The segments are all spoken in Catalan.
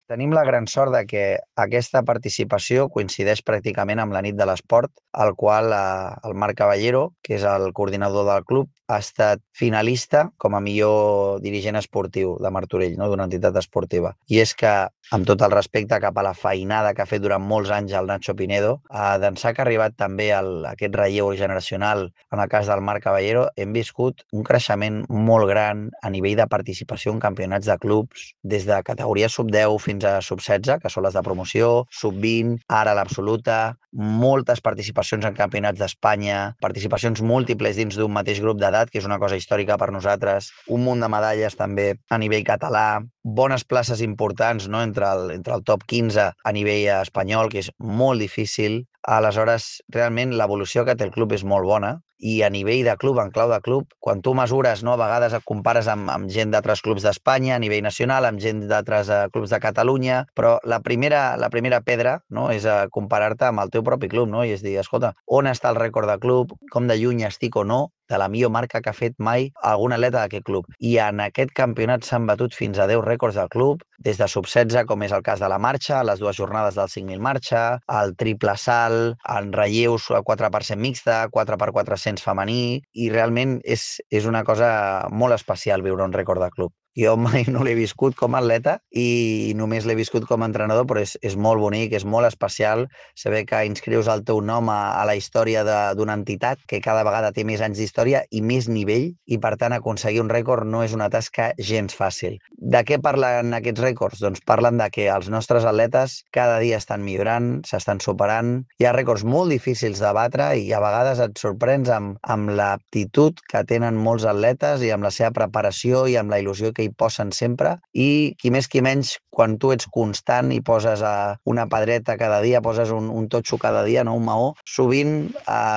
Tenim la gran sort de que aquesta participació coincideix pràcticament amb la nit de l'esport, al qual el Marc Caballero, que és el coordinador del club, ha estat finalista com a millor dirigent esportiu de Martorell, no? D'una entitat esportiva. I és que, amb tot el respecte cap a la feinada que ha fet durant molts anys el Nacho Pinedo, d'ençà que ha arribat també aquest relleu generacional, en el cas del Marc Caballero, hem viscut un creixement molt gran a nivell de participació en campionats de clubs, des de categoria sub-10 fins a sub-16, que són les de promoció, sub-20, ara l'absoluta, moltes participacions en campionats d'Espanya, participacions múltiples dins d'un mateix grup d'edat, que és una cosa històrica per nosaltres, un munt de medalles també a nivell català, bones places importants, no? entre el top 15 a nivell espanyol, que és molt difícil. Aleshores, realment l'evolució que té el club és molt bona i a nivell de club, en clau de club, quan tu mesures, no, a vegades et compares amb gent d'altres clubs d'Espanya a nivell nacional, amb gent d'altres clubs de Catalunya, però la primera pedra, no, és comparar-te amb el teu propi club, no? I és dir, escolta, on està el rècord de club, com de lluny estic o no de la millor marca que ha fet mai algun atleta d'aquest club. I en aquest campionat s'han batut fins a 10 rècords del club, des de sub-16, com és el cas de la marxa, les dues jornades del 5.000 marxa, el triple salt, en relleus 4x100 mixta, 4x400 femení, i realment és una cosa molt especial viure un rècord de club. Jo mai no l'he viscut com a atleta i només l'he viscut com a entrenador, però és molt bonic, és molt especial saber que inscrius el teu nom a la història d'una entitat que cada vegada té més anys d'història i més nivell, i per tant aconseguir un rècord no és una tasca gens fàcil. De què parlen aquests rècords? Doncs parlen de que els nostres atletes cada dia estan millorant, s'estan superant, hi ha rècords molt difícils de batre i a vegades et sorprens amb l'aptitud que tenen molts atletes i amb la seva preparació i amb la il·lusió que hi posen sempre, i qui més qui menys, quan tu ets constant i poses una pedreta cada dia, poses un totxo cada dia, no? Un maó, sovint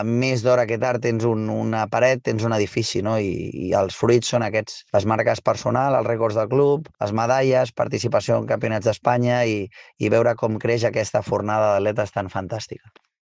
més d'hora que tard tens una paret, tens un edifici, no? I els fruits són aquests, les marques personals, els rècords del club, les medalles, participació en campionats d'Espanya i veure com creix aquesta fornada d'atletes tan fantàstica.